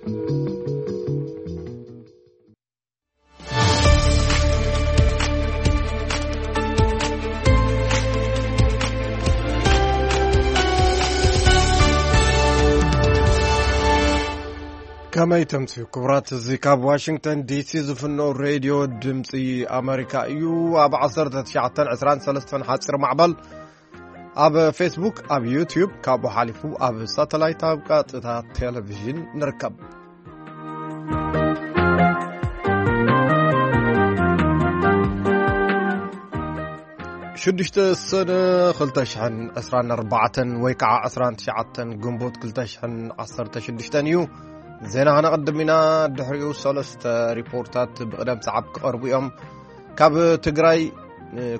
ከመይ ተምስዩ ክቡራት፣ እዚ ካብ ዋሽንግተን ዲሲ ዝፍኖ ሬድዮ ድምፂ ኣመሪካ እዩ። ኣብ ዓሰርተ ትሽዓተን ዕስራን ሰለስተን ሓፂር ማዕበል፣ ኣብ ፌስቡክ፣ ኣብ ዩትዩብ፣ ካብኡ ሓሊፉ ኣብ ሳተላይት፣ ኣብ ቀጥታ ቴሌቪዥን ንርከብ። ሽዱሽተ ሰነ ክልተ ሽሕን ዕስራን ኣርባዕተን ወይ ከዓ ዕስራን ትሽዓተን ግንቦት ክልተ ሽሕን ዓሰርተ ሽዱሽተን እዩ። ዜና ከነቐድም ኢና። ድሕሪኡ ሰለስተ ሪፖርታት ብቕደም ሰዓብ ክቐርቡ እዮም። ካብ ትግራይ፣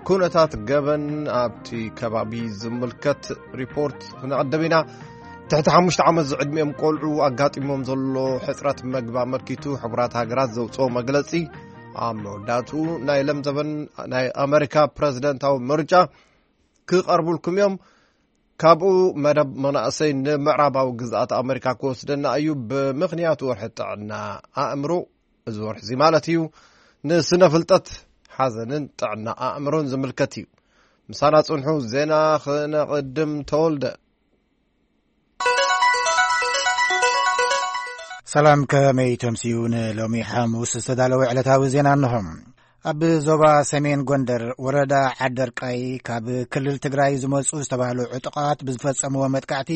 ኩነታት ገበን ኣብቲ ከባቢ ዝምልከት ሪፖርት ክነቐድም ኢና። ትሕቲ ሓሙሽተ ዓመት ዝዕድሚኦም ቆልዑ ኣጋጢሞም ዘሎ ሕፅረት መግቢ ኣመልኪቱ ሕቡራት ሃገራት ዘውፅኦ መግለፂ፣ ኣብ መወዳእትኡ ናይ ለምዘበን ናይ ኣመሪካ ፕረዚደንታዊ ምርጫ ክቐርቡልኩም እዮም። ካብኡ መደብ መናእሰይ ንምዕራባዊ ግዝኣት ኣመሪካ ክወስደና እዩ። ብምኽንያቱ ወርሒ ጥዕና ኣእምሮ፣ እዚ ወርሒ እዚ ማለት እዩ፣ ንስነ ፍልጠት ሓዘንን ጥዕና ኣእምሮን ዝምልከት እዩ። ምሳና ጽንሑ፣ ዜና ክነቕድም። ተወልደ። ሰላም፣ ከመይ ተምስዩ? ንሎሚ ሓሙስ ዝተዳለወ ዕለታዊ ዜና እንሆ። ኣብ ዞባ ሰሜን ጎንደር ወረዳ ዓደርቃይ ካብ ክልል ትግራይ ዝመጹ ዝተባህሉ ዕጡቓት ብዝፈጸምዎ መጥቃዕቲ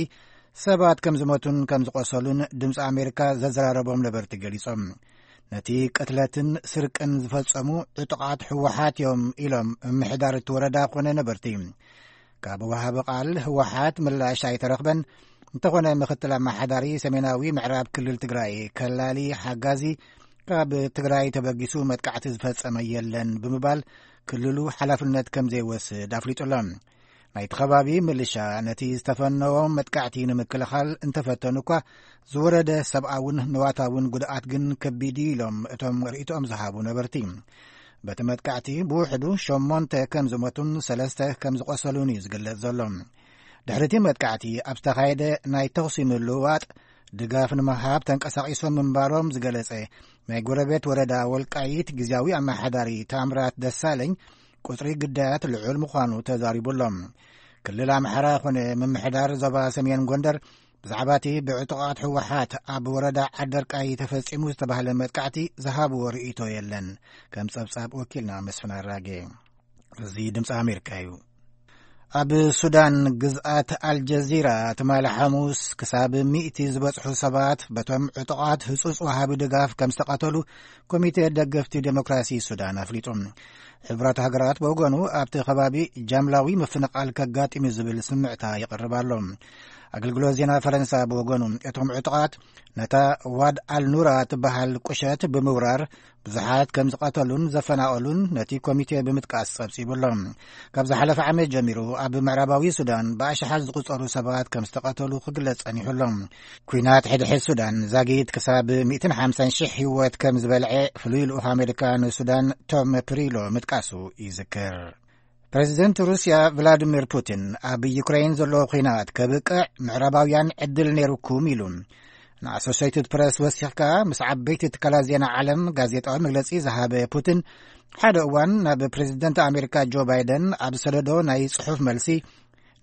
ሰባት ከም ዝሞቱን ከም ዝቆሰሉን ድምፂ ኣሜሪካ ዘዘራረቦም ነበርቲ ገሊጾም። ነቲ ቅትለትን ስርቅን ዝፈጸሙ ዕጡቓት ህወሓት እዮም ኢሎም ምምሕዳር እቲ ወረዳ ኮነ ነበርቲ። ካብ ወሃቢ ቃል ህወሓት ምላሽ ኣይተረኽበን። እንተኾነ ምክትል ኣመሓዳሪ ሰሜናዊ ምዕራብ ክልል ትግራይ ከላሊ ሓጋዚ ካብ ትግራይ ተበጊሱ መጥቃዕቲ ዝፈጸመ የለን ብምባል ክልሉ ሓላፍነት ከም ዘይወስድ ኣፍሊጡ ኣሎ። ናይቲ ከባቢ ምልሻ ነቲ ዝተፈነዎ መጥቃዕቲ ንምክልኻል እንተፈተኑ እኳ ዝወረደ ሰብኣውን ንዋታውን ጉድኣት ግን ከቢድ እዩ ኢሎም እቶም ርእይቶኦም ዝሃቡ ነበርቲ። በቲ መጥቃዕቲ ብውሕዱ ሸሞንተ ከም ዝሞቱን ሰለስተ ከም ዝቆሰሉን እዩ ዝግለጽ ዘሎ። ድሕሪ እቲ መጥቃዕቲ ኣብ ዝተኻየደ ናይ ተኹሲ ምልውዋጥ ድጋፍ ንምሃብ ተንቀሳቒሶም ምንባሮም ዝገለጸ ናይ ጎረቤት ወረዳ ወልቃይት ግዝያዊ ኣመሓዳሪ ታምራት ደሳለኝ ቁጽሪ ግዳያት ልዑል ምዃኑ ተዛሪቡ ኣሎ። ክልል ኣምሓራ ኮነ ምምሕዳር ዞባ ሰሜን ጎንደር ብዛዕባ እቲ ብዕጡቓት ህወሓት ኣብ ወረዳ ዓደርቃይ ተፈጺሙ ዝተባህለ መጥቃዕቲ ዝሃብዎ ርእይቶ የለን። ከም ጸብጻብ ወኪልና መስፍን ኣራጌ። እዚ ድምፂ ኣሜሪካ እዩ። ኣብ ሱዳን ግዝኣት ኣልጀዚራ ትማሊ ሓሙስ ክሳብ ሚእቲ ዝበጽሑ ሰባት በቶም ዕጡቓት ህጹጽ ወሃቢ ድጋፍ ከም ዝተቐተሉ ኮሚቴ ደገፍቲ ዴሞክራሲ ሱዳን ኣፍሊጡ። ሕቡራት ሃገራት ብወገኑ ኣብቲ ከባቢ ጃምላዊ ምፍንቓል ከጋጥም እዩ ዝብል ስምዕታ ይቐርብ ኣሎ። ኣገልግሎት ዜና ፈረንሳ ብወገኑ እቶም ዕጡቓት ነታ ዋድ ኣልኑራ ትበሃል ቁሸት ብምውራር ብዙሓት ከም ዝቐተሉን ዘፈናቐሉን ነቲ ኮሚቴ ብምጥቃስ ጸብጺቡ ኣሎ። ካብ ዝሓለፈ ዓመት ጀሚሩ ኣብ ምዕራባዊ ሱዳን ብኣሽሓት ዝቑጸሩ ሰባት ከም ዝተቐተሉ ክግለጽ ጸኒሑ ኣሎ። ኲናት ሕድሕድ ሱዳን ዛጊት ክሳብ ሚእትን ሓምሳን ሽሕ ህይወት ከም ዝበልዐ ፍሉይ ልኡኽ ኣሜሪካ ንሱዳን ቶም ፕሪሎ ምጥቃሱ ይዝክር። ፕረዚደንት ሩስያ ቭላዲሚር ፑቲን ኣብ ዩክሬን ዘሎ ኲናት ከብቅዕ ምዕራባውያን ዕድል ነይሩኩም ኢሉ ንኣሶሴይትድ ፕረስ ወሲኽካ ምስ ዓበይቲ ትካላት ዜና ዓለም ጋዜጣዊ መግለጺ ዝሃበ ፑቲን፣ ሓደ እዋን ናብ ፕረዚደንት ኣሜሪካ ጆ ባይደን ኣብ ዝሰደዶ ናይ ጽሑፍ መልሲ፣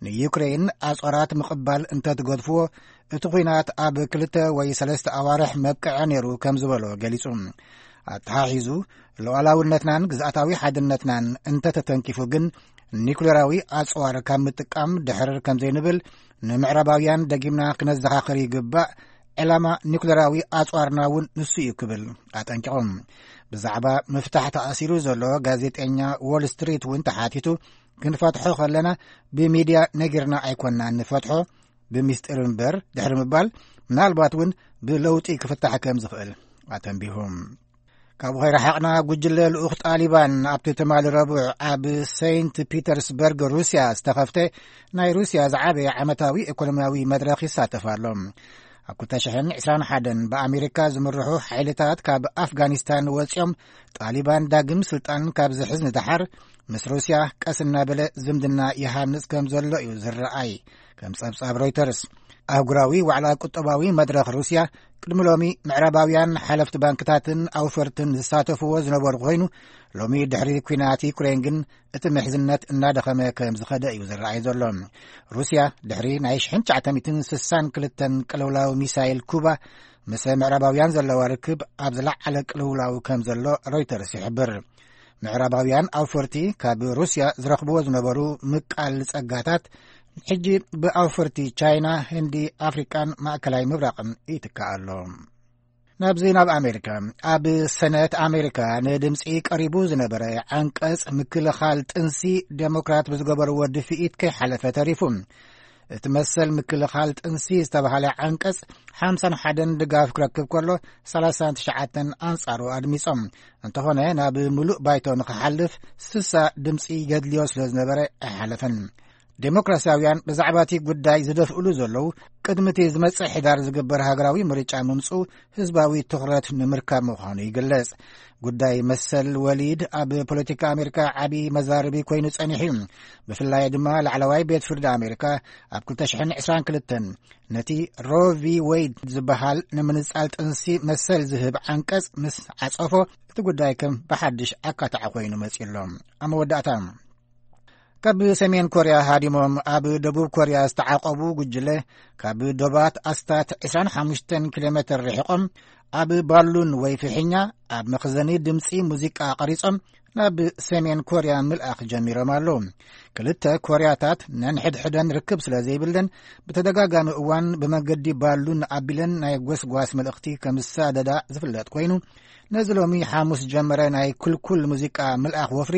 ንዩክሬን ኣጽዋራት ምቕባል እንተትገድፍዎ፣ እቲ ኲናት ኣብ ክልተ ወይ ሰለስተ ኣዋርሕ መብቅዐ ነይሩ ከም ዝበሎ ገሊጹ። ኣተሓሒዙ፣ ሉዓላውነትናን ግዝኣታዊ ሓድነትናን እንተተተንኪፉ ግን፣ ኒኩሌራዊ ኣጽዋር ካብ ምጥቃም ድሕር ከም ዘይንብል ንምዕራባውያን ደጊምና ክነዘኻኽር ይግባእ። ዕላማ ኒኩሌራዊ ኣጽዋርና እውን ንሱ እዩ ክብል ኣጠንቂቖም። ብዛዕባ ምፍታሕ ተኣሲሩ ዘሎ ጋዜጠኛ ዎል ስትሪት እውን ተሓቲቱ፣ ክንፈትሖ ከለና ብሚድያ ነጊርና ኣይኮናን ንፈትሖ፣ ብሚስጢር እምበር ድሕሪ ምባል፣ ምናልባት እውን ብለውጢ ክፍታሕ ከም ዝኽእል ኣተንቢሁ። ካብኡ ከይረሓቕና፣ ጉጅለ ልኡኽ ጣሊባን ኣብቲ ትማሊ ረቡዕ ኣብ ሴንት ፒተርስበርግ ሩስያ ዝተኸፍተ ናይ ሩስያ ዝዓበየ ዓመታዊ ኢኮኖሚያዊ መድረኽ ይሳተፍ ኣሎ። ኣብ ክልተ ሽሕን ዕስራን ሓደን ብኣሜሪካ ዝምርሑ ሓይልታት ካብ ኣፍጋኒስታን ወፂኦም፣ ጣሊባን ዳግም ስልጣን ካብ ዝሕዝ ንደሓር ምስ ሩስያ ቀስ እናበለ ዝምድና ይሃንጽ ከም ዘሎ እዩ ዝረኣይ። ከም ጸብጻብ ሮይተርስ፣ ኣህጉራዊ ዋዕላ ቁጠባዊ መድረኽ ሩስያ ቅድሚ ሎሚ ምዕራባውያን ሓለፍቲ ባንክታትን ኣውፈርትን ዝሳተፍዎ ዝነበሩ ኮይኑ፣ ሎሚ ድሕሪ ኲናት ዩክሬን ግን እቲ ምሕዝነት እናደኸመ ከም ዝኸደ እዩ ዝረኣይ ዘሎ። ሩስያ ድሕሪ ናይ ሽሕን ትሽዓተ ሚእትን ስሳን ክልተን ቅልውላው ሚሳይል ኩባ፣ ምስ ምዕራባውያን ዘለዋ ርክብ ኣብ ዝለዓለ ቅልውላው ከም ዘሎ ሮይተርስ ይሕብር። ምዕራባውያን ኣውፈርቲ ካብ ሩስያ ዝረኽብዎ ዝነበሩ ምቃል ጸጋታት፣ ሕጂ ብኣውፈርቲ ቻይና፣ ህንዲ፣ ኣፍሪቃን ማእከላይ ምብራቕን ይትካእ ኣሎ። ናብዚ ናብ ኣሜሪካ። ኣብ ሰነት ኣሜሪካ ንድምፂ ቀሪቡ ዝነበረ ዓንቀጽ ምክልኻል ጥንሲ፣ ዴሞክራት ብዝገበርዎ ድፍኢት ከይሓለፈ ተሪፉ። እቲ መሰል ምክልኻል ጥንሲ ዝተባህለ ዓንቀጽ ሓምሳን ሓደን ድጋፍ ክረክብ ከሎ፣ ሰላሳን ትሽዓተን ኣንጻሩ ኣድሚጾም። እንተኾነ፣ ናብ ምሉእ ባይቶ ንኽሓልፍ ስሳ ድምጺ የድልዮ ስለ ዝነበረ ኣይሓለፈን። ዴሞክራሲያውያን ብዛዕባ እቲ ጉዳይ ዝደፍእሉ ዘለዉ፣ ቅድሚ እቲ ዝመጽእ ሕዳር ዝግበር ሃገራዊ ምርጫ ምምጽኡ ህዝባዊ ትኹረት ንምርካብ ምዃኑ ይግለጽ። ጉዳይ መሰል ወሊድ ኣብ ፖለቲካ ኣሜሪካ ዓቢ መዛርቢ ኮይኑ ጸኒሑ እዩ። ብፍላይ ድማ ላዕለዋይ ቤት ፍርዲ ኣሜሪካ ኣብ ክልተ ሽሕን ዕስራን ክልተን ነቲ ሮ ቪ ዌይድ ዝበሃል ንምንጻል ጥንሲ መሰል ዝህብ ዓንቀጽ ምስ ዓጸፎ፣ እቲ ጉዳይ ከም ብሓድሽ ኣካታዒ ኮይኑ መጺኡ ኣሎ። ኣብ መወዳእታ፣ ካብ ሰሜን ኮርያ ሃዲሞም ኣብ ደቡብ ኮርያ ዝተዓቆቡ ጉጅለ፣ ካብ ዶባት ኣስታት ዕስራን ሓሙሽተን ኪሎ ሜትር ርሒቖም፣ ኣብ ባሉን ወይ ፍሕኛ ኣብ መኽዘኒ ድምጺ ሙዚቃ ቀሪጾም ናብ ሰሜን ኮርያ ምልኣኽ ጀሚሮም ኣለዉ። ክልተ ኮርያታት ነንሕድሕደን ርክብ ስለ ዘይብለን፣ ብተደጋጋሚ እዋን ብመንገዲ ባሉን ኣቢለን ናይ ጎስጓስ መልእኽቲ ከም ዝሰዳዳ ዝፍለጥ ኮይኑ፣ ነዚ ሎሚ ሓሙስ ዝጀመረ ናይ ኩልኩል ሙዚቃ ምልኣኽ ወፍሪ፣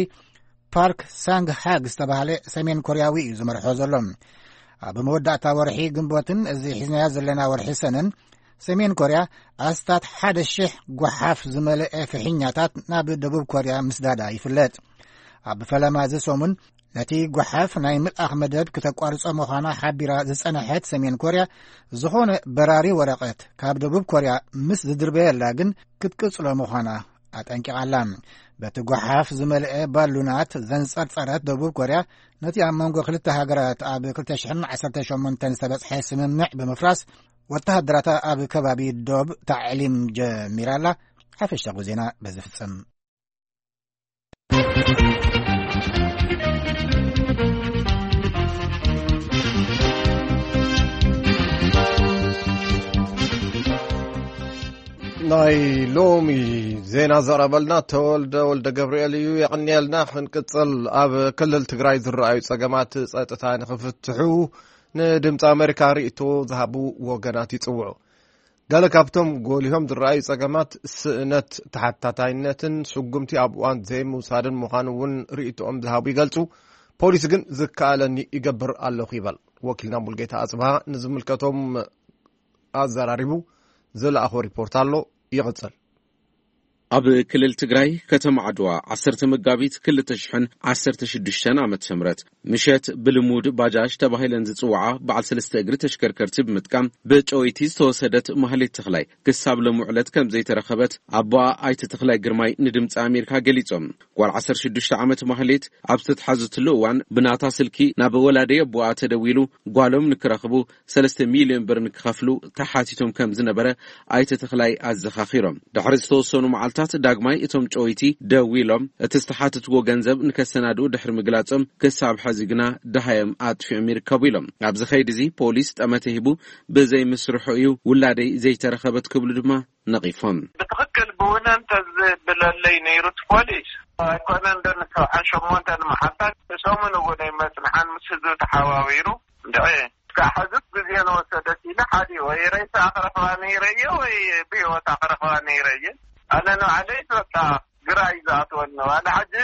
ፓርክ ሳንግ ሃግ ዝተባህለ ሰሜን ኮርያዊ እዩ ዝመርሖ ዘሎ። ኣብ መወዳእታ ወርሒ ግንቦትን እዚ ሒዝናዮ ዘለና ወርሒ ሰነን፣ ሰሜን ኮርያ ኣስታት ሓደ ሽሕ ጓሓፍ ዝመልአ ፍሕኛታት ናብ ደቡብ ኮርያ ምስዳዳ ይፍለጥ። ኣብ ፈለማ እዚ ሰሙን፣ ነቲ ጓሓፍ ናይ ምልኣኽ መደብ ክተቋርጾ ምዃና ሓቢራ ዝጸንሐት ሰሜን ኮርያ፣ ዝኾነ በራሪ ወረቐት ካብ ደቡብ ኮርያ ምስ ዝድርበየላ ግን ክትቅጽሎ ምዃና ኣጠንቂቓ ኣላ። በቲ ጓሓፍ ዝመልአ ባሉናት ዘንጸርጸረት ደቡብ ኮርያ፣ ነቲ ኣብ መንጎ ክልተ ሃገራት ኣብ ክልተ ሽሕን ዓሰርተ ሸሞንተን ዝተበጽሐ ስምምዕ ብምፍራስ፣ ወተሃደራታ ኣብ ከባቢ ዶብ ታዕሊም ጀሚራ ኣላ። ሓፈሻዊ ዜና በዚ ፍጽም። ናይ ሎሚ ዜና ዘቕረበልና ተወልደ ወልደ ገብርኤል እዩ። የቐንየልና። ክንቅጽል፣ ኣብ ክልል ትግራይ ዝረኣዩ ጸገማት ጸጥታ ንኽፍትሑ ንድምፂ ኣሜሪካ ርእይቶ ዝሃቡ ወገናት ይጽውዑ። ገለ ካብቶም ጎሊሆም ዝረኣዩ ጸገማት ስእነት ተሓታታይነትን ስጉምቲ ኣብ እዋን ዘይምውሳድን ምዃኑ እውን ርእይቶኦም ዝሃቡ ይገልጹ። ፖሊስ ግን ዝከኣለኒ ይገብር ኣለኹ ይበል። ወኪልና ሙልጌታ ኣጽብሃ ንዝምልከቶም ኣዘራሪቡ ዝለኣኾ ሪፖርት ኣሎ። ይቕጽል። ኣብ ክልል ትግራይ ከተማ ዓድዋ ዓሰርተ መጋቢት ክልተ ሽሕን ዓሰርተ ሽዱሽተን ዓመተ ምህረት ምሸት ብልሙድ ባጃጅ ተባሂለን ዝጽውዓ በዓል ሰለስተ እግሪ ተሽከርከርቲ ብምጥቃም ብጨወይቲ ዝተወሰደት ማህሌት ተኽላይ ክሳብ ሎሚ ዕለት ከም ዘይተረኸበት ኣቦኣ ኣይተ ተኽላይ ግርማይ ንድምፂ ኣሜሪካ ገሊጾም። ጓል ዓሰርተ ሽዱሽተ ዓመት ማህሌት ኣብ ዝተትሓዘትሉ እዋን ብናታ ስልኪ ናብ ወላዲ ኣቦኣ ተደዊሉ ጓሎም ንክረኽቡ ሰለስተ ሚልዮን ብር ንክኸፍሉ ተሓቲቶም ከም ዝነበረ ኣይተ ተኽላይ ኣዘኻኺሮም። ድሕሪ ዝተወሰኑ መዓልታት ዳግማይ እቶም ጨወይቲ ደዊሎም እቲ ዝተሓተትዎ ገንዘብ ንከሰናድኡ ድሕሪ ምግላጾም ክሳብ ሕዚ ግና ደሃዮም ኣጥፊኦም ይርከቡ ኢሎም። ኣብዚ ከይዲ እዚ ፖሊስ ጠመተ ሂቡ ብዘይምስርሑ እዩ ውላደይ ዘይተረኸበት ክብሉ ድማ ነቒፎም። ብትኽክል ብውነ እንተዝብለለይ ነይሩ እቲ ፖሊስ ኣይኮነን ዶ ንሰብዓን ሸሞንተን መዓልታት ሰሙን እውን ኣይመጽንሓን ምስ ህዝቢ ተሓባቢሩ እንድዒ እስካዕ ሕዚ ግዜ ንወሰደት ኢለ ሓዲኡ ወይ ሬሳ ክረኽባ ነይረየ ወይ ብህይወታ ክረኽባ ነይረየ። ኣነ ንባዕለይ በቃ ግራ እዩ ዝኣትወኒ። ዋላ ሕጂ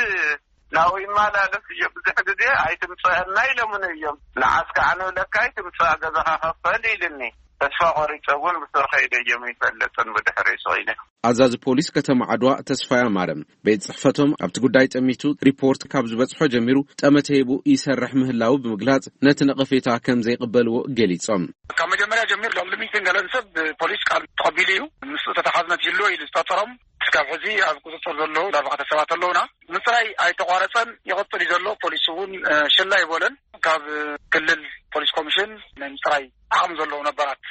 ናብኡ ይመላለስ እየ ብዙሕ ግዜ ኣይትምፅአና ኢሎምኒ እዮም። ንዓስ ከዓ ንብለካ ኣይትምፅኣ ገዛኻ ከፈል ኢልኒ። ተስፋ ቆሪፀ እውን ብስር ከይደ እዮም ይፈልጥን ብድሕሪ ስቕ ኢለ። ኣዛዚ ፖሊስ ከተማ ዓድዋ ተስፋይ ኣማረ ቤት ጽሕፈቶም ኣብቲ ጉዳይ ጠሚቱ ሪፖርት ካብ ዝበጽሖ ጀሚሩ ጠመተ ሂቡ ይሰርሕ ምህላዉ ብምግላጽ ነቲ ነቐፌታ ከም ዘይቕበልዎ ገሊጾም። ካብ መጀመርያ ጀሚሩ ሎም ልሚትን ገለን ሰብ ፖሊስ ቃል ተቐቢሉ እዩ። ምስ ተተሓዝነት ይህልዎ ኢሉ ዝጠርጠሮም እስካብ ሕዚ ኣብ ቁፅፅር ዘለዉ ኣርባዕተ ሰባት ኣለዉና። ምፅራይ ኣይተቋረፀን ይቕፅል እዩ ዘሎ። ፖሊስ እውን ሽላ ይበለን። ካብ ክልል ፖሊስ ኮሚሽን ናይ ምፅራይ ዓቕሚ ዘለዎም ነባራት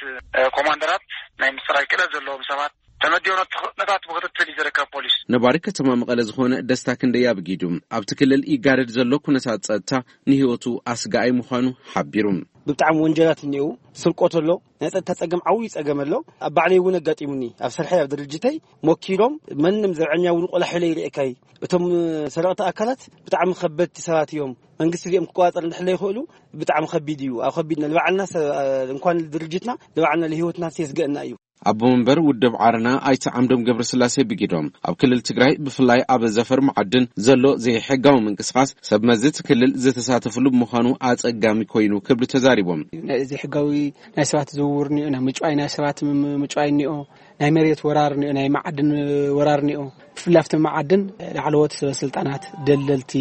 ኮማንደራት፣ ናይ ምፅራይ ክእለት ዘለዎም ሰባት ተመዲቦ ነቲ ነታት ብክትትል እዩ ዝርከብ ፖሊስ። ነባሪ ከተማ መቐለ ዝኾነ ደስታ ክንደይ ኣብጊዱ፣ ኣብቲ ክልል ይጋደድ ዘሎ ኩነታት ጸጥታ ንህይወቱ ኣስጋኣይ ምዃኑ ሓቢሩ። ብጣዕሚ ወንጀላት እኒአው፣ ስርቆት ኣሎ፣ ናይ ጸጥታ ጸገም፣ ዓብዪ ጸገም ኣሎ። ኣብ ባዕለይ እውን ኣጋጢሙኒ። ኣብ ስርሐይ፣ ኣብ ድርጅተይ ሞኪሎም፣ መንም ዘርዐኛ እውን ቆላሕ ኢለ ይርእየካይ። እቶም ሰረቕቲ ኣካላት ብጣዕሚ ከበድቲ ሰባት እዮም። መንግስቲ እዚኦም ክቆጻጸር እንድሕር ዘይክእሉ ብጣዕሚ ከቢድ እዩ። ኣብ ከቢድና ንባዕልና ሰ-፣ እንኳን ድርጅትና ንባዕልና ንህይወትና የስግእና እዩ። ኣቦ መንበር ውድብ ዓረና ኣይተ ዓምዶም ገብረስላሴ ብጊዶም፣ ኣብ ክልል ትግራይ ብፍላይ ኣብ ዘፈር መዓድን ዘሎ ዘይሕጋዊ ምንቅስቃስ ሰብ መዚ እቲ ክልል ዝተሳተፍሉ ብምዃኑ ኣጸጋሚ ኮይኑ ክብሉ ተዛሪቦም። ናይ ዘይሕጋዊ ናይ ሰባት ዝውውር እኒኦ፣ ናይ ምጭዋይ ናይ ሰባት ም-፣ ምጭዋይ እኒኦ፣ ናይ መሬት ወራር እኒኦ፣ ናይ መዓድን ወራር እኒኦ። ብፍላይ ኣብቲ መዓድን ላዕለዎት ሰበ ስልጣናት፣ ደለልቲ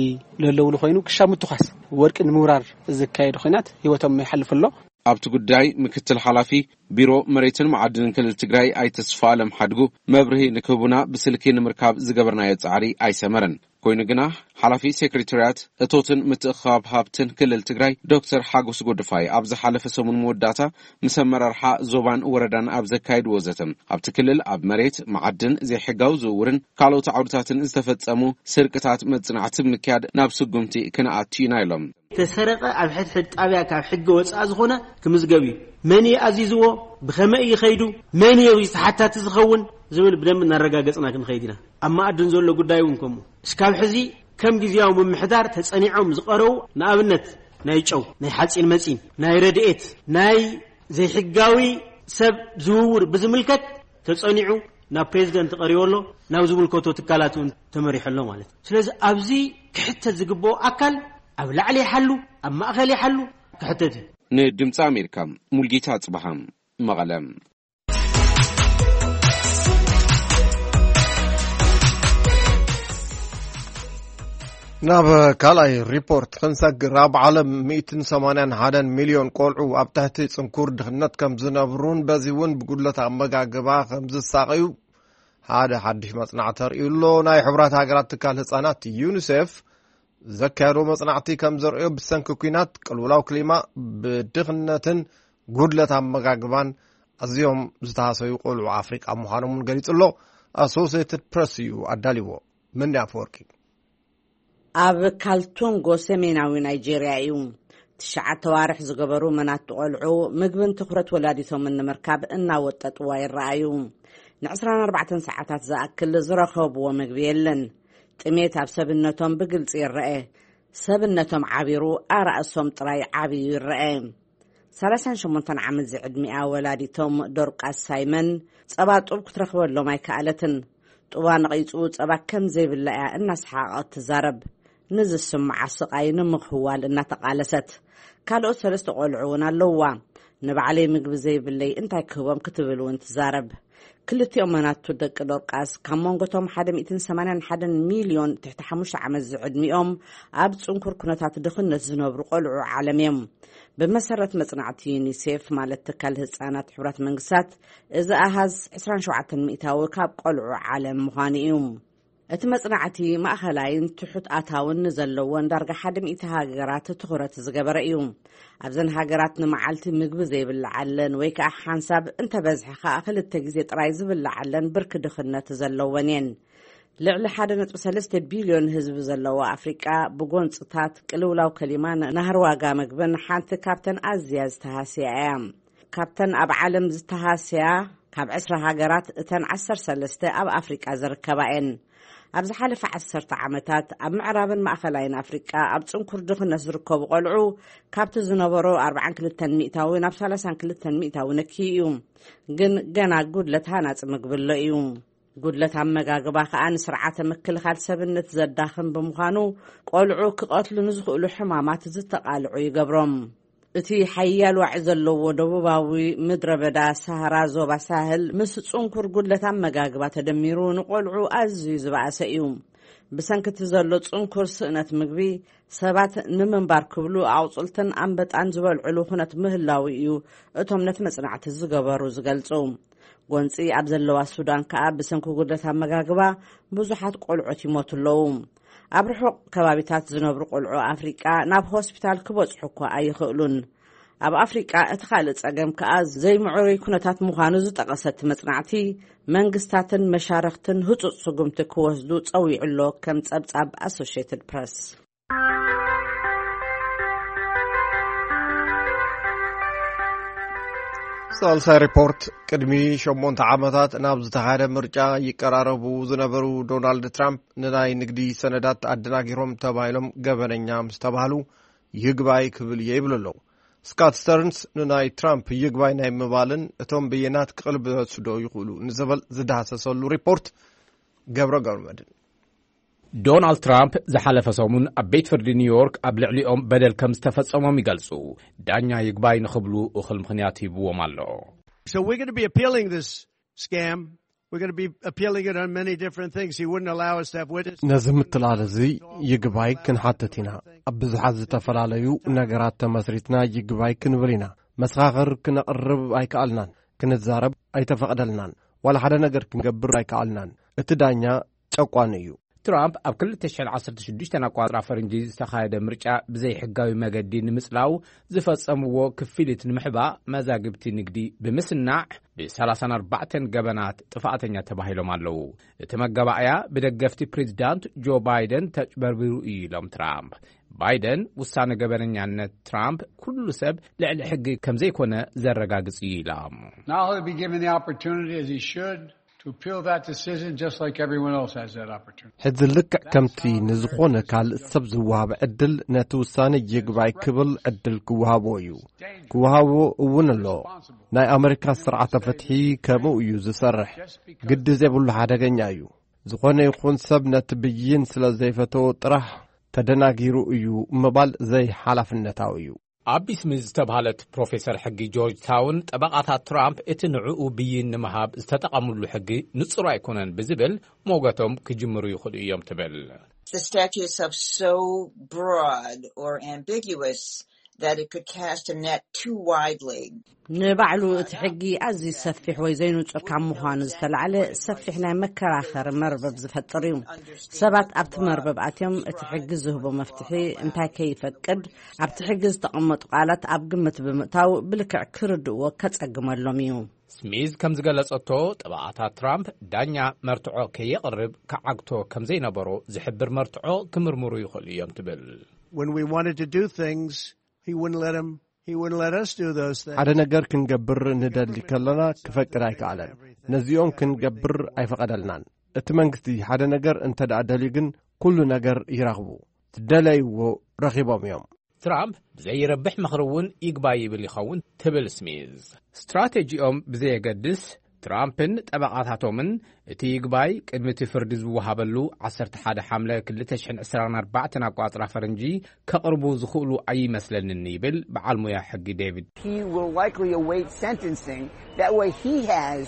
ለለውሉ ኮይኑ ክሻብ ምትኳስ ወርቂ ንምውራር ዝካየድ ኮይናት ህይወቶም ይሓልፍ ኣሎ። ኣብቲ ጉዳይ ምክትል ሓላፊ ቢሮ መሬትን መዓድንን ክልል ትግራይ ኣይተ ስፋ ኣለም ሓድጉ መብርሂ ንክህቡና ብስልኪ ንምርካብ ዝገበርናዮ ጻዕሪ ኣይሰመረን። ኮይኑ ግና ሓላፊ ሴክሬታርያት እቶትን ምትእኽኻብ ሃብትን ክልል ትግራይ ዶክተር ሓጎስ ጎድፋይ ኣብ ዝሓለፈ ሰሙን መወዳእታ ምስ ኣመራርሓ ዞባን ወረዳን ኣብ ዘካየድዎ ዘተ፣ ኣብቲ ክልል ኣብ መሬት፣ መዓድን፣ ዘይሕጋዊ ዝውውርን ካልኦት ዓውድታትን ዝተፈጸሙ ስርቅታት መጽናዕቲ ብምክያድ ናብ ስጉምቲ ክንኣቱ ኢና ኢሎም። ተሰረቐ ኣብ ሕድሕድ ጣብያ ካብ ሕጊ ወፃኢ ዝኾነ ክምዝገብ እዩ። መን እዩ ኣዚዝዎ? ብኸመይ እዩ ከይዱ? መን እዩ ተሓታቲ ዝኸውን? ዝብል ብደንብ እናረጋገፅና ክንኸይድ ኢና። ኣብ መኣድን ዘሎ ጉዳይ እውን ከምኡ። እስካብ ሕዚ ከም ግዝያዊ ምምሕዳር ተፀኒዖም ዝቐረቡ፣ ንኣብነት ናይ ጨው፣ ናይ ሓፂን መፂን፣ ናይ ረድኤት፣ ናይ ዘይሕጋዊ ሰብ ዝውውር ብዝምልከት ተጸኒዑ ናብ ፕሬዚደንት ቀሪቡ ኣሎ፣ ናብ ዝምልከቶ ትካላት እውን ተመሪሑ ኣሎ ማለት እዩ። ስለዚ ኣብዚ ክሕተት ዝግበኦ ኣካል ኣብ ላዕሊ ይሓሉ፣ ኣብ ማእኸል ይሓሉ ክሕተት እዩ። ንድምፂ ኣሜሪካ ሙልጌታ ኣፅበሃ፣ መቐለ። ናብ ካልኣይ ሪፖርት ክንሰግር፣ ኣብ ዓለም ሚእትን ሰማንያን ሓደን ሚልዮን ቆልዑ ኣብ ትሕቲ ጽንኩር ድኽነት ከም ዝነብሩን በዚ እውን ብጉድለት ኣመጋግባ ከም ዝሳቐዩ ሓደ ሓድሽ መጽናዕቲ ኣርእዩ ኣሎ። ናይ ሕቡራት ሃገራት ትካል ህጻናት ዩኒሴፍ ዘካየዶ መጽናዕቲ ከም ዘርእዮ፣ ብሰንኪ ኲናት፣ ቅልውላው ክሊማ፣ ብድኽነትን ጉድለት ኣመጋግባን ኣዝዮም ዝተሃሰዩ ቆልዑ ኣፍሪቃ ምዃኖም እውን ገሊጹ ኣሎ። ኣሶሲየትድ ፕረስ እዩ ኣዳልዎ። መን ኣፈወርቂ። ኣብ ካልቱንጎ ሰሜናዊ ናይጄርያ እዩ። ትሽዓተ ዋርሕ ዝገበሩ መናቱ ቆልዑ ምግብን ትኹረት ወላዲቶምን ንምርካብ እናወጠጥዋ ይረኣዩ። ንዕስራን ኣርባዕተን ሰዓታት ዝኣክል ዝረኸብዎ ምግቢ የለን። ጥሜት ኣብ ሰብነቶም ብግልጺ ይረአ። ሰብነቶም ዓቢሩ ኣራእሶም ጥራይ ዓብዩ ይረአ። ሰላሳን ሸሞንተን ዓመት ዝዕድሚኣ ወላዲቶም ዶርቃስ ሳይመን ጸባ ጡብ ክትረኽበሎም ኣይከኣለትን። ጡባ ነቒጹ ጸባ ከም ዘይብላ እያ እናሰሓቐት ትዛረብ። ንዝስምዓ ስቓይ ንምኽዋል እናተቓለሰት። ካልኦት ሰለስተ ቆልዑ እውን ኣለውዋ። ንባዕለይ ምግቢ ዘይብለይ እንታይ ክህቦም ክትብል እውን ትዛረብ። ክልቲኦም መናቱ ደቂ ዶርቃስ ካብ መንጎቶም ሓደ ሚእትን ሰማንያን ሓደን ሚልዮን ትሕቲ ሓሙሽተ ዓመት ዝዕድሚኦም ኣብ ጽንኩር ኩነታት ድኽነት ዝነብሩ ቆልዑ ዓለም እዮም። ብመሰረት መጽናዕቲ ዩኒሴፍ፣ ማለት ትካል ህጻናት ሕቡራት መንግስታት፣ እዚ ኣሃዝ ዕስራን ሸውዓተን ሚእታዊ ካብ ቆልዑ ዓለም ምዃኑ እዩ። እቲ መጽናዕቲ ማእኸላይን ትሑት ኣታውን ንዘለወን ዳርጋ ሓደ ሚእቲ ሃገራት ትኹረት ዝገበረ እዩ። ኣብዘን ሃገራት ንመዓልቲ ምግቢ ዘይብልዓለን ወይ ከኣ ሓንሳብ እንተበዝሐ ከኣ ክልተ ግዜ ጥራይ ዝብልዓለን ብርኪ ድኽነት ዘለወን እየን። ልዕሊ ሓደ ነጥቢ ሰለስተ ቢልዮን ህዝቢ ዘለዋ ኣፍሪቃ ብጎንጽታት፣ ቅልውላው ከሊማን ናህሪ ዋጋ ምግብን ሓንቲ ካብተን ኣዝያ ዝተሃስያ እያ። ካብተን ኣብ ዓለም ዝተሃስያ ካብ ዕስራ ሃገራት እተን ዓሰርተ ሰለስተ ኣብ ኣፍሪቃ ዝርከባ እየን። ኣብ ዝሓለፈ ዓሰርተ ዓመታት ኣብ ምዕራብን ማእኸላይን ኣፍሪቃ ኣብ ጽንኩር ድኽነት ዝርከቡ ቆልዑ ካብቲ ዝነበሮ ኣርብዓን ክልተን ሚእታዊ ናብ ሰላሳን ክልተን ሚእታዊ ነክዩ እዩ። ግን ገና ጉድለት ሃናጺ ምግቢ ኣሎ እዩ። ጉድለት ኣመጋግባ ከኣ ንስርዓተ ምክልኻል ሰብነት ዘዳኽም ብምዃኑ፣ ቆልዑ ክቐትሉ ንዝኽእሉ ሕማማት ዝተቓልዑ ይገብሮም። እቲ ሓያል ዋዒ ዘለዎ ደቡባዊ ምድረ በዳ ሳሃራ ዞባ ሳህል ምስ ጽንኩር ጉድለት ኣመጋግባ ተደሚሩ ንቆልዑ ኣዝዩ ዝበኣሰ እዩ። ብሰንኪ እቲ ዘሎ ጽንኩር ስእነት ምግቢ፣ ሰባት ንምንባር ክብሉ ኣቑጽልትን ኣንበጣን ዝበልዕሉ ኩነት ምህላዉ እዩ እቶም ነቲ መጽናዕቲ ዝገበሩ ዝገልጹ። ጎንጺ ኣብ ዘለዋ ሱዳን ከኣ ብሰንኪ ጉድለት ኣመጋግባ ብዙሓት ቆልዑት ይሞቱ ኣለዉ። ኣብ ርሑቕ ከባቢታት ዝነብሩ ቆልዑ ኣፍሪቃ ናብ ሆስፒታል ክበጽሑ እኳ ኣይኽእሉን። ኣብ ኣፍሪቃ እቲ ካልእ ጸገም ከኣ ዘይምዕሩይ ኩነታት ምዃኑ ዝጠቐሰ እቲ መጽናዕቲ፣ መንግስታትን መሻርኽትን ህጹጽ ስጉምቲ ክወስዱ ጸዊዑ ኣሎ፣ ከም ጸብጻብ ኣሶሽየትድ ፕረስ። ሳልሳይ ሪፖርት። ቅድሚ ሸሞንተ ዓመታት ናብ ዝተኻየደ ምርጫ ይቀራረቡ ዝነበሩ ዶናልድ ትራምፕ ንናይ ንግዲ ሰነዳት ኣደናጊሮም ተባሂሎም ገበነኛ ምስ ተባህሉ ይግባይ ክብል እየ ይብሉ ኣለዉ። ስካት ስተርንስ ንናይ ትራምፕ ይግባይ ናይ ምባልን እቶም ብይናት ክቕልበሱ ዶ ይኽእሉ ንዝብል ዝዳህሰሰሉ ሪፖርት ገብረ ገብረመድህን። ዶናልድ ትራምፕ ዝሓለፈ ሰሙን ኣብ ቤት ፍርዲ ኒውዮርክ ኣብ ልዕሊኦም በደል ከም ዝተፈጸሞም ይገልጹ። ዳኛ ይግባይ ንኽብሉ እኹል ምኽንያት ሂብዎም ኣሎ። So we're going to be appealing this scam. We're going to be appealing it on many different things. He wouldn't allow us to have witnesses. ነዚ ምትላል እዚ ይግባይ ክንሓትት ኢና። ኣብ ብዙሓት ዝተፈላለዩ ነገራት ተመስሪትና ይግባይ ክንብል ኢና። መሰኻኽር ክነቕርብ ኣይከኣልናን። ክንዛረብ ኣይተፈቕደልናን። ዋላ ሓደ ነገር ክንገብር ኣይከኣልናን። እቲ ዳኛ ጨቋኒ እዩ። ትራምፕ ኣብ ክልተ ሽሕን ዓሰርተ ሽዱሽተን ኣቋጽራ ፈረንጂ ዝተኻየደ ምርጫ ብዘይሕጋዊ መገዲ ንምጽላው ዝፈጸምዎ ክፍሊት ንምሕባእ መዛግብቲ ንግዲ ብምስናዕ ብ ሰላሳን ኣርባዕተን ገበናት ጥፋኣተኛ ተባሂሎም ኣለዉ። እቲ መጋባእያ ብደገፍቲ ፕሬዚዳንት ጆ ባይደን ተጭበርቢሩ እዩ ኢሎም ትራምፕ። ባይደን ውሳነ ገበነኛነት ትራምፕ ኩሉ ሰብ ልዕሊ ሕጊ ከም ዘይኮነ ዘረጋግጽ እዩ ኢሎም። Now he'll be given the opportunity, as he should, to appeal that decision just like everyone else has that opportunity. ሕዚ ልክዕ ከምቲ ንዝኾነ ካልእ ሰብ ዝወሃብ ዕድል ነቲ ውሳነ ይግባይ ክብል ዕድል ክወሃቦ እዩ። ክወሃቦ እውን ኣሎ። ናይ ኣመሪካ ስርዓተ ፍትሒ ከምኡ እዩ ዝሰርሕ። ግዲ ዘይብሉ ሓደገኛ እዩ። ዝኾነ ይኹን ሰብ ነቲ ብይን ስለ ዘይፈተዎ ጥራሕ ተደናጊሩ እዩ ምባል ዘይሓላፍነታዊ እዩ። ኣቢ ስሚዝ ዝተባህለት ፕሮፌሰር ሕጊ ጆርጅ ታውን ጠበቓታት ትራምፕ እቲ ንዕኡ ብይን ንምሃብ ዝተጠቐምሉ ሕጊ ንጹር ኣይኮነን ብዝብል ሞገቶም ክጅምሩ ይኽእሉ እዮም ትብል። The statutes are so broad or ambiguous that it could cast a net too widely. ንባዕሉ እቲ ሕጊ ኣዝዩ ሰፊሕ ወይ ዘይንጹር ካብ ምዃኑ ዝተላዕለ ሰፊሕ ናይ መከራኸሪ መርበብ ዝፈጥር እዩ። ሰባት ኣብቲ መርበብ ኣትዮም እቲ ሕጊ ዝህቦ መፍትሒ እንታይ ከይፈቅድ ኣብቲ ሕጊ ዝተቐመጡ ቃላት ኣብ ግምት ብምእታው ብልክዕ ክርድእዎ ከጸግመሎም እዩ። ስሚዝ ከም ዝገለጸቶ ጠበቓታት ትራምፕ ዳኛ መርትዖ ከየቕርብ ክዓግቶ ከም ዘይነበሮ ዝሕብር መርትዖ ክምርምሩ ይኽእሉ እዮም ትብል። When we wanted to do things, he wouldn't let him, he wouldn't let us do those things. ሓደ ነገር ክንገብር ንደሊ ከለና ክፈቅድ ኣይከኣለን። ነዚኦም ክንገብር ኣይፈቐደልናን። እቲ መንግስቲ ሓደ ነገር እንተ ደኣ ደልዩ ግን ኩሉ ነገር ይረኽቡ። ዝደለይዎ ረኺቦም እዮም። ትራምፕ ብዘይረብሕ ምኽሪ እውን ይግባይ ይብል ይኸውን ትብል ስሚዝ። ስትራቴጂኦም ብዘየገድስ ትራምፕን ጠበቓታቶምን እቲ ይግባይ ቅድሚ እቲ ፍርዲ ዝወሃበሉ ዓሰርተ ሓደ ሓምለ ክልተ ሽሕን ዕስራን ኣርባዕተን ኣቋጽራ ፈረንጂ ከቕርቡ ዝኽእሉ ኣይመስለንን ይብል በዓል ሙያ ሕጊ ዴቪድ። He will likely await sentencing. That way he has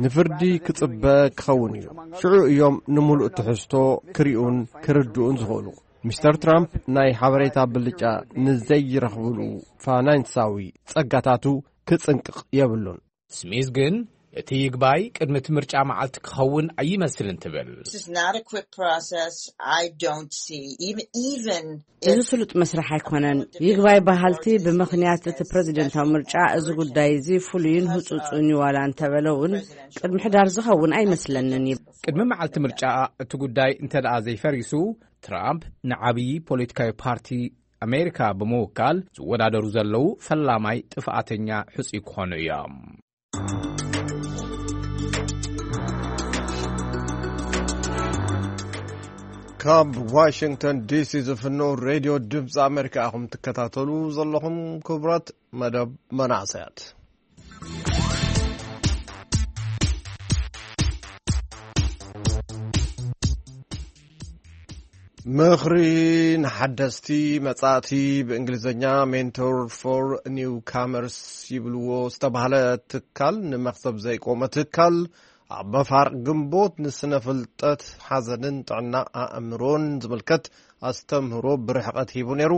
ንፍርዲ ክጽበ ክኸውን እዩ። ሽዑ እዮም ንምሉእ ትሕዝቶ ክሪኡን ክርድኡን ዝኽእሉ። ሚስተር ትራምፕ ናይ ሓበሬታ ብልጫ ንዘይረኽብሉ ፋይናንሳዊ ጸጋታቱ ክጽንቅቕ የብሉን። ስሚዝ ግን እቲ ይግባይ ቅድሚ እቲ ምርጫ መዓልቲ ክኸውን ኣይመስልን ትብል። This is not a quick process. I don't see even, even እዚ if ስሉጥ መስርሕ ኣይኮነን። ይግባይ በሃልቲ ብምኽንያት እቲ ፕሬዚደንታዊ ምርጫ እዚ ጉዳይ እዚ ፍሉይን ህጹጽን እዩ ዋላ እንተበለ እውን ቅድሚ ሕዳር ዝኸውን ኣይመስለንን እዩ። ቅድሚ መዓልቲ ምርጫ እቲ ጉዳይ እንተ ደኣ ዘይፈሪሱ ትራምፕ ንዓብዪ ፖለቲካዊ ፓርቲ ኣሜሪካ ብምውካል ዝወዳደሩ ዘለዉ ፈላማይ ጥፍኣተኛ ሕጹይ ክኾኑ እዮም። ካብ ዋሽንግተን ዲሲ ዝፍኖ ሬድዮ ድምፂ ኣሜሪካ ኢኹም ትከታተሉ ዘለኹም። ክቡራት መደብ መናእሰያት። ምኽሪ ንሓደስቲ መጻእቲ፣ ብእንግሊዝኛ ሜንቶር ፎር ኒው ካመርስ ይብልዎ፣ ዝተባህለ ትካል፣ ንመኽሰብ ዘይቆመ ትካል ኣብ መፋር ግንቦት ንስነ ፍልጠት ሓዘንን ጥዕና ኣእምሮን ዝምልከት ኣስተምህሮ ብርሕቐት ሂቡ ነይሩ።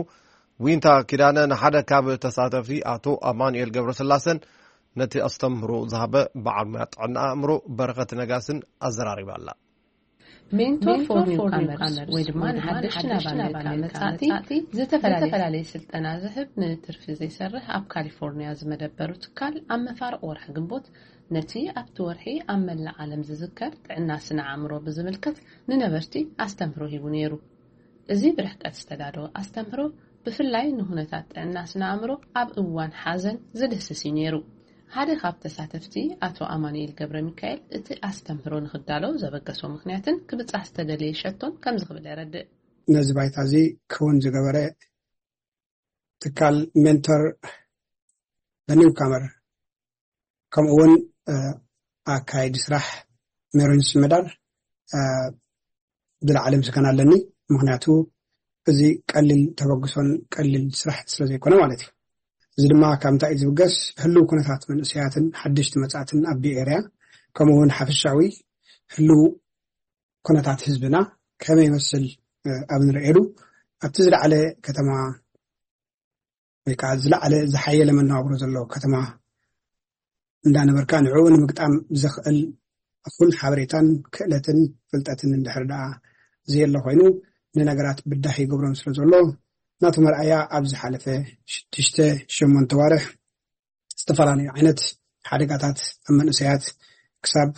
ዊንታ ኪዳነ ንሓደ ካብ ተሳተፍቲ ኣቶ ኣማኑኤል ገብረስላሰን ነቲ ኣስተምህሮ ዝሃበ በዓል ሙያ ጥዕና ኣእምሮ በረኸት ነጋስን ኣዘራሪባ ኣላ። ሜንቶር ፎር ኒውካመርስ ወይ ድማ ንሓደሽቲ ናብ ኣሜሪካ መጻእቲ ዝተፈላለየ ስልጠና ዝህብ ንትርፊ ዘይሰርሕ ኣብ ካሊፎርኒያ ዝመደበሩ ትካል ኣብ መፋርቕ ወርሒ ግንቦት ነቲ ኣብቲ ወርሒ ኣብ መላእ ዓለም ዝዝከር ጥዕና ስነ ኣእምሮ ብዝምልከት ንነበርቲ ኣስተምህሮ ሂቡ ነይሩ። እዚ ብርሕቀት ዝተዳለወ ኣስተምህሮ ብፍላይ ንኩነታት ጥዕና ስነ ኣእምሮ ኣብ እዋን ሓዘን ዝድህስስ እዩ ነይሩ። ሓደ ካብ ተሳተፍቲ ኣቶ ኣማኑኤል ገብረ ሚካኤል እቲ ኣስተምህሮ ንክዳሎ ዘበገሶ ምክንያትን ክብጻሕ ዝተደለየ ሸቶን ከምዚ ክብል የረድእ። ነዚ ባይታ እዚ ክውን ዝገበረ ትካል ሜንቶር ኒውካመር ከምኡ እውን ኣካይዲ ስራሕ ሜሮን ሽመዳር ብላዕሊ ምስጋና ኣለኒ። ምክንያቱ እዚ ቀሊል ተበግሶን ቀሊል ስራሕ ስለ ዘይኮነ ማለት እዩ። እዚ ድማ ካብ እንታይ እዩ ዝብገስ? ህልው ኩነታት መንእሰያትን ሓደሽቲ መጻእትን ኣብ ቤይ ኤርያ ከምኡ እውን ሓፈሻዊ ህልው ኩነታት ህዝብና ከመይ ይመስል ኣብ ንርእየሉ ኣብቲ ዝለዓለ ከተማ ወይ ከዓ ዝለዓለ ዝሓየለ መነባብሮ ዘለዎ ከተማ እንዳነበርካ ንዕኡ ንምግጣም ዘኽእል እኹል ሓበሬታን ክእለትን ፍልጠትን እንድሕር ደኣ ዘየሎ ኮይኑ ንነገራት ብዳህ ይገብሮም ስለ ዘሎ ናቱ መርኣያ ኣብ ዝሓለፈ ሽዱሽተ ሸሞንተ ዋርሕ ዝተፈላለዩ ዓይነት ሓደጋታት ኣብ መንእሰያት ክሳብ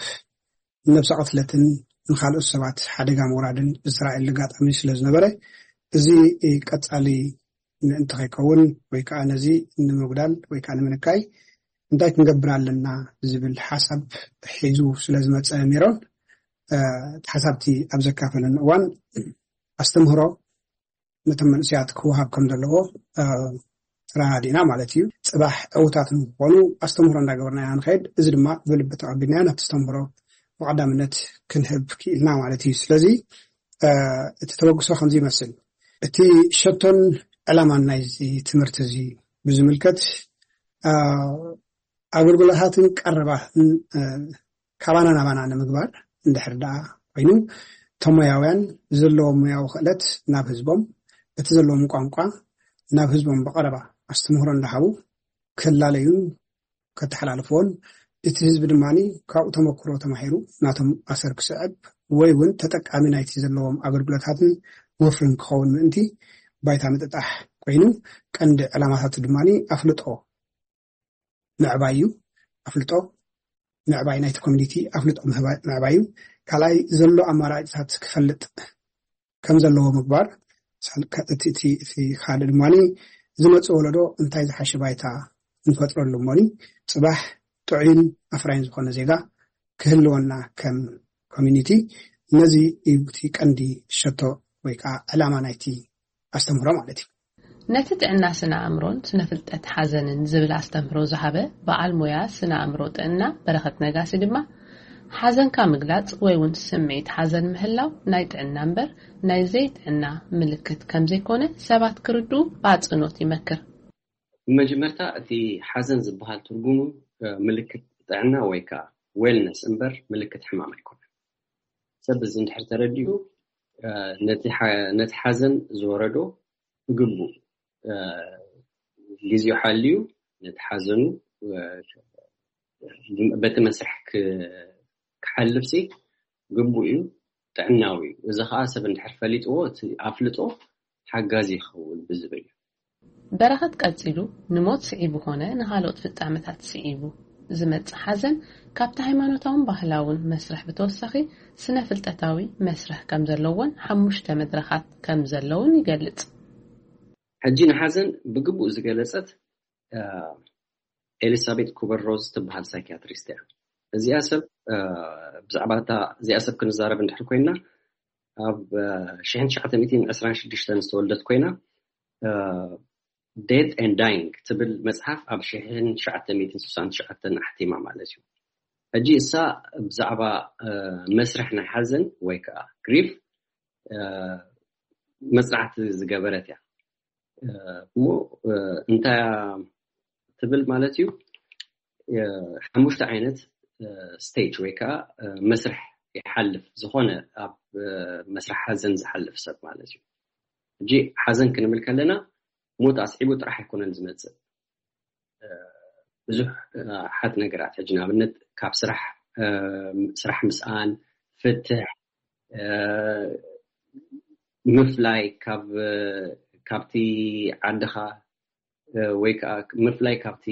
ነብሰ ቅትለትን ንካልኦት ሰባት ሓደጋ ምውራድን ብእስራኤል ኣጋጣሚ ስለ ዝነበረ እዚ ቀጻሊ ምእንቲ ከይከውን ወይ ከዓ ነዚ ንምጉዳል ወይ ከዓ ንምንካይ እንታይ ክንገብር ኣለና ዝብል ሓሳብ ሒዙ ስለ ዝመፀ ሜሮን እቲ ሓሳብቲ ኣብ ዘካፈለኒ እዋን ኣስተምህሮ ነቶም መንእሰያት ክወሃብ ከም ዘለዎ ተረዳዲእና ማለት እዩ። ፅባሕ ዕውታት ንክኾኑ ኣስተምህሮ እንዳገበርና ኢና ንኸይድ። እዚ ድማ ብልቢ ተቐቢልናዮ ነቲ ኣስተምህሮ ብቐዳምነት ክንህብ ክኢልና ማለት እዩ። ስለዚ እቲ ተበግሶ ከምዚ ይመስል። እቲ ሸቶን ዕላማን ናይዚ ትምህርቲ እዚ ብዝምልከት ኣገልግሎታትን ቀረባትን ካባና ናባና ንምግባር እንድሕር ደኣ ኮይኑ እቶም ሞያውያን ዘለዎም ሞያዊ ክእለት ናብ ህዝቦም እቲ ዘለዎም ቋንቋ ናብ ህዝቦም ብቐረባ ኣስተምህሮ እንዳሃቡ ክላለዩን ከተሓላልፍዎን እቲ ህዝቢ ድማ ካብኡ ተመክሮ ተማሂሩ ናቶም ኣሰር ክስዕብ ወይ እውን ተጠቃሚ ናይቲ ዘለዎም ኣገልግሎታትን ወፍርን ክኸውን ምእንቲ ባይታ ምጥጣሕ ኮይኑ ቀንዲ ዕላማታቱ ድማ ኣፍልጦ ምዕባይ እዩ። ኣፍልጦ ምዕባይ ናይቲ ኮሚኒቲ ኣፍልጦ ምዕባይ እዩ። ካልኣይ ዘሎ ኣማራጭታት ክፈልጥ ከም ዘለዎ ምግባር። እቲ ካልእ ድማ ዝመፅእ ወለዶ እንታይ ዝሓሸ ባይታ ንፈጥረሉ እሞኒ ፅባሕ ጥዑይን ኣፍራይን ዝኾነ ዜጋ ክህልወና ከም ኮሚኒቲ ነዚ እዩ እቲ ቀንዲ ሸቶ ወይ ከዓ ዕላማ ናይቲ ኣስተምህሮ ማለት እዩ። ነቲ ጥዕና ስነ ኣእምሮን ስነ ፍልጠት ሓዘንን ዝብል ኣስተምህሮ ዝሃበ በዓል ሞያ ስነ ኣእምሮ ጥዕና በረኸት ነጋሲ ድማ ሓዘንካ ምግላጽ ወይ እውን ስምዒት ሓዘን ምህላው ናይ ጥዕና እምበር ናይ ዘይጥዕና ምልክት ከም ዘይኮነ ሰባት ክርድኡ ብኣጽንኦት ይመክር። ብመጀመርታ እቲ ሓዘን ዝበሃል ትርጉሙ ምልክት ጥዕና ወይ ከዓ ዌልነስ እምበር ምልክት ሕማም ኣይኮነን። ሰብ እዚ እንድሕር ተረዲኡ ነቲ ሓዘን ዝወረዶ ብግቡእ ግዜኡ ሓልዩ ነቲ ሓዘኑ በቲ መስርሕ ክሓልፍ ሲ ግቡእ እዩ፣ ጥዕናዊ እዩ። እዚ ከዓ ሰብ እንድሕር ፈሊጥዎ እቲ ኣፍልጦ ሓጋዚ ይኸውን ብዝብል እዩ። በረኸት ቀጺሉ ንሞት ስዒቡ ኮነ ንኻልኦት ፍጻመታት ስዒቡ ዝመጽእ ሓዘን ካብቲ ሃይማኖታውን ባህላውን መስርሕ ብተወሳኺ ስነ ፍልጠታዊ መስርሕ ከም ዘለዎን ሓሙሽተ መድረኻት ከም ዘለውን ይገልጽ። ሕጂ ንሓዘን ብግቡእ ዝገለጸት ኤሊሳቤት ኩበር ሮዝ ትበሃል ሳይኪያትሪስት እያ። እዚኣ ሰብ ብዛዕባ እዚኣ ሰብ ክንዛረብ እንድሕር ኮይና ኣብ ሽሕን ትሽዓተ ሚእትን ዕስራን ሽዱሽተን ዝተወልደት ኮይና Death and Dying ትብል መፅሓፍ ኣብ ሽሕን ትሽዓተ ሚእትን ስሳን ትሽዓተን ኣሕቲማ ማለት እዩ። ሕጂ እሳ ብዛዕባ መስርሕ ናይ ሓዘን ወይ ከዓ ግሪፍ መፅናዕቲ ዝገበረት እያ። እሞ እንታይ ትብል ማለት እዩ? ሓሙሽተ ዓይነት ስቴጅ ወይ ከዓ መስርሕ ይሓልፍ፣ ዝኾነ ኣብ መስርሕ ሓዘን ዝሓልፍ ሰብ ማለት እዩ። ሕጂ ሓዘን ክንብል ከለና ሞት ኣስዒቡ ጥራሕ ኣይኮነን ዝመፅእ። ብዙሕ ሓት ነገራት፣ ሕጂ ንኣብነት ካብ ስራሕ፣ ስራሕ ምስኣን፣ ፍትሕ፣ ምፍላይ ካብ፣ ካብቲ ዓድኻ፣ ወይ ከዓ ምፍላይ ካብቲ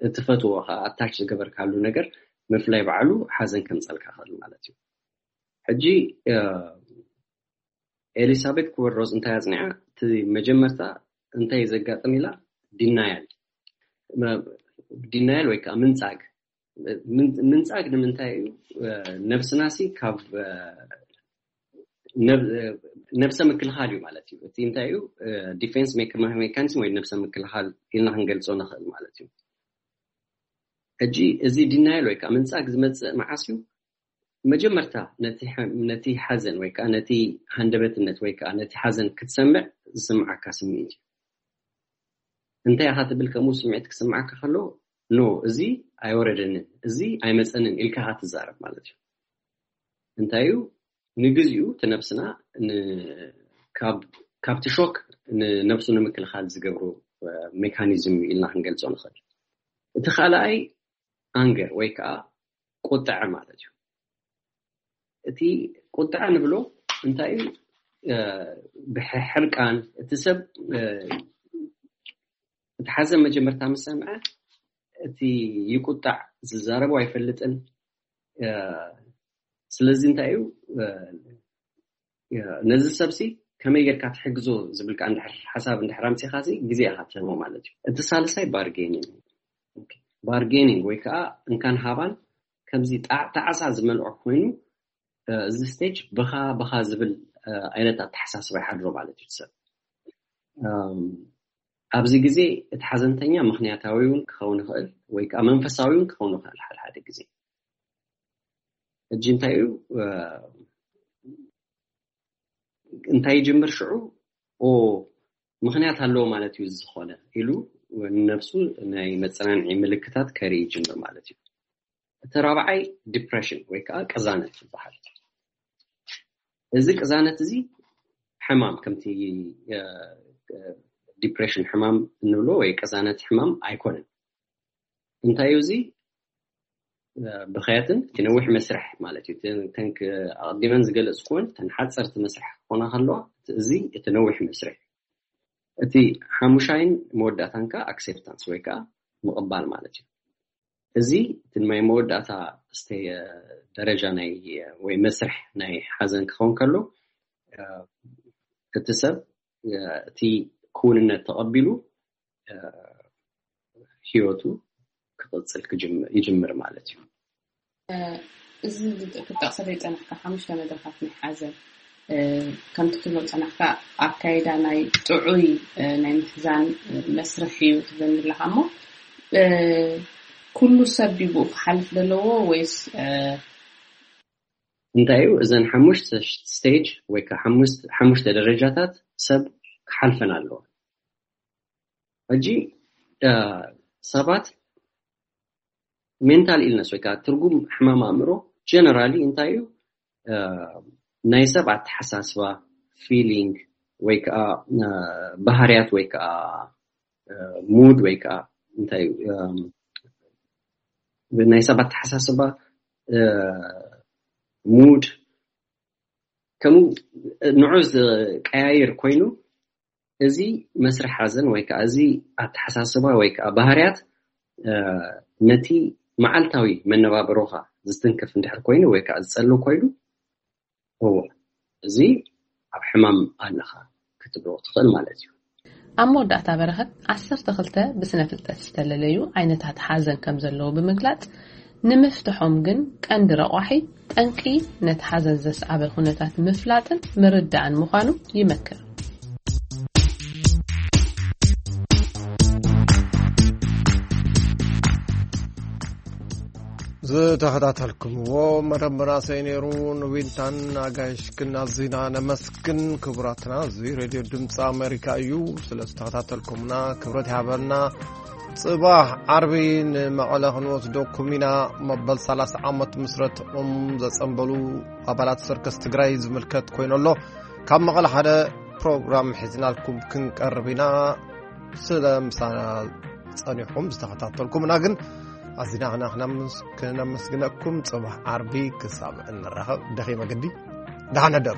እትፈትዎ ከዓ ኣታች ዝገበርካሉ ነገር ምፍላይ ባዕሉ ሓዘን ከምፀልካ ክእል ማለት እዩ። ሕጂ ኤሊሳቤት ኩበል ሮዝ እንታይ ኣፅኒዓ? እቲ መጀመርታ እንታይ ዘጋጥም ኢላ፣ ዲናያል፣ ዲናያል ወይ ከዓ ምንፃግ። ምንፃግ ንምንታይ እዩ? ነብስናሲ ካብ ነብሰ ምክልኻል እዩ ማለት እዩ። እቲ እንታይ እዩ? ዲፌንስ ሜካኒዝም ወይ ነብሰ ምክልኻል ኢልና ክንገልፆ ንኽእል ማለት እዩ። ሕጂ እዚ ዲናይል ወይ ከዓ ምንፃግ ዝመፅእ መዓስ እዩ? መጀመርታ ነቲ ሓዘን ወይ ከዓ ነቲ ሃንደበትነት ወይ ከዓ ነቲ ሓዘን ክትሰምዕ ዝስምዓካ ስምዒት እዩ። እንታይ ኢኻ ትብል? ከምኡ ስምዒት ክስምዓካ ከሎ፣ ኖ፣ እዚ ኣይወረደንን፣ እዚ ኣይመፀንን ኢልካ ኢኻ ትዛረብ ማለት እዩ። እንታይ እዩ? ንግዚኡ እቲ ነብስና ካብቲ ሾክ ንነብሱ ንምክልኻል ዝገብሩ ሜካኒዝም ኢልና ክንገልፆ ንኽእል። እቲ ካልኣይ ኣንገር ወይ ከዓ ቁጥዐ ማለት እዩ። እቲ ቁጥዐ ንብሎ እንታይ እዩ? ብሕርቃን እቲ ሰብ እቲ ሓዘን መጀመርታ ምስ ሰምዐ እቲ ይቁጣዕ፣ ዝዛረቦ ኣይፈልጥን። ስለዚ እንታይ እዩ? ነዚ ሰብሲ ከመይ ጌርካ ትሕግዞ ዝብል ከዓ እንድሕር ሓሳብ እንድሕር ኣምፂኻ ሲ ግዜ ኢኻ ትህቦ ማለት እዩ። እቲ ሳልሳይ ባርጌኒንግ፣ ባርጌኒንግ ወይ ከዓ እንካን ሃባን ከምዚ ጣዕሳ ዝመልዖ ኮይኑ፣ እዚ ስቴጅ ብኻ ብኻ ዝብል ዓይነት ኣተሓሳስባ ይሓድሮ ማለት እዩ ሰብ። ኣብዚ ግዜ እቲ ሓዘንተኛ ምክንያታዊ እውን ክኸውን ይኽእል ወይ ከዓ መንፈሳዊ እውን ክኸውን ይኽእል ሓደ ሓደ ግዜ። ሕጂ እንታይ እዩ? እንታይ ይጅምር ሽዑ? ኦ፣ ምክንያት ኣለዎ ማለት እዩ ዝኾነ ኢሉ ንነብሱ ናይ መፀናንዒ ምልክታት ከርኢ ይጅምር ማለት እዩ። እቲ ራብዓይ ዲፕሬሽን ወይ ከዓ ቅዛነት ይበሃል። እዚ ቅዛነት እዚ ሕማም ከምቲ ዲፕሬሽን ሕማም እንብሎ ወይ ቅዛነት ሕማም ኣይኮነን። እንታይ እዩ እዚ? ብኸያትን እቲ ነዊሕ መስርሕ ማለት እዩ። ኣቐዲመን ዝገለፅኩወን ተን ሓፀርቲ መስርሕ ክኾና ከለዋ፣ እዚ እቲ ነዊሕ መስርሕ። እቲ ሓሙሻይን መወዳእታን ከዓ ኣክሴፕታንስ ወይ ከዓ ምቕባል ማለት እዩ። እዚ እቲ ናይ መወዳእታ ደረጃ ናይ ወይ መስርሕ ናይ ሓዘን ክኸውን ከሎ፣ እቲ ሰብ እቲ ክውንነት ተቐቢሉ ህይወቱ ክቕፅል ይጅምር ማለት እዩ። እዚ ክትጠቕሰለይ ዝፀናሕካ ሓሙሽተ መድረኻት ናይ ሓዘን ከምቲ ትብሎ ዝፀናሕካ ኣካይዳ ናይ ጥዑይ ናይ ምሕዛን መስርሕ እዩ ትብለኒ ኣለካ። እሞ ኩሉ ሰብ ድዩ ብኡ ክሓልፍ ዘለዎ ወይስ እንታይ እዩ? እዘን ሓሙሽተ ስቴጅ ወይ ከዓ ሓሙሽተ ደረጃታት ሰብ ክሓልፈን ኣለዎ። ሕጂ ሰባት ሜንታል ኢልነስ ወይ ከዓ ትርጉም ሕማም ኣእምሮ ጀነራሊ እንታይ እዩ? ናይ ሰብ ኣተሓሳስባ፣ ፊሊንግ ወይ ከዓ ባህርያት ወይ ከዓ ሙድ ወይ ከዓ እንታይ እዩ ናይ ሰብ ኣተሓሳስባ፣ ሙድ ከምኡ ንዑ ዝቀያየር ኮይኑ እዚ መስርሕ ሓዘን ወይ ከዓ እዚ ኣተሓሳስባ ወይ ከዓ ባህርያት ነቲ መዓልታዊ መነባብሮኻ ዝትንክፍ እንድሕር ኮይኑ ወይ ከዓ ዝፀልው ኮይኑ እዎ እዚ ኣብ ሕማም ኣለኻ ክትብሎ ትኽእል ማለት እዩ። ኣብ መወዳእታ በረኸት ዓሰርተ ክልተ ብስነ ፍልጠት ዝተለለዩ ዓይነታት ሓዘን ከም ዘለዉ ብምግላፅ ንምፍትሖም ግን ቀንዲ ረቋሒ ጠንቂ ነቲ ሓዘን ዘስዓበ ኩነታት ምፍላጥን ምርዳእን ምዃኑ ይመክር። ዝተኸታተልኩምዎ መደብ መናእሰይ ነይሩ። ንዊንታን ኣጋይሽክን ኣዚና ነመስግን። ክቡራትና፣ እዚ ሬድዮ ድምፂ ኣሜሪካ እዩ። ስለ ዝተኸታተልኩምና ክብረት ይሃበልና። ጽባሕ ዓርቢ ንመቐለ ክንወስደኩም ኢና። መበል ሰላሳ ዓመት ምስረትኦም ዘጸንበሉ ኣባላት ሰርከስ ትግራይ ዝምልከት ኮይኑ ኣሎ። ካብ መቐለ ሓደ ፕሮግራም ሒዝናልኩም ክንቀርብ ኢና። ስለ ምሳና ጸኒሕኩም ዝተኸታተልኩምና ግን ኣዚና ክና ክነምስ- ክነመስግነኩም። ጽባሕ ዓርቢ ክሳብ እንራኸብ ደኺመ ግዲ። ደሓን ሕደሩ።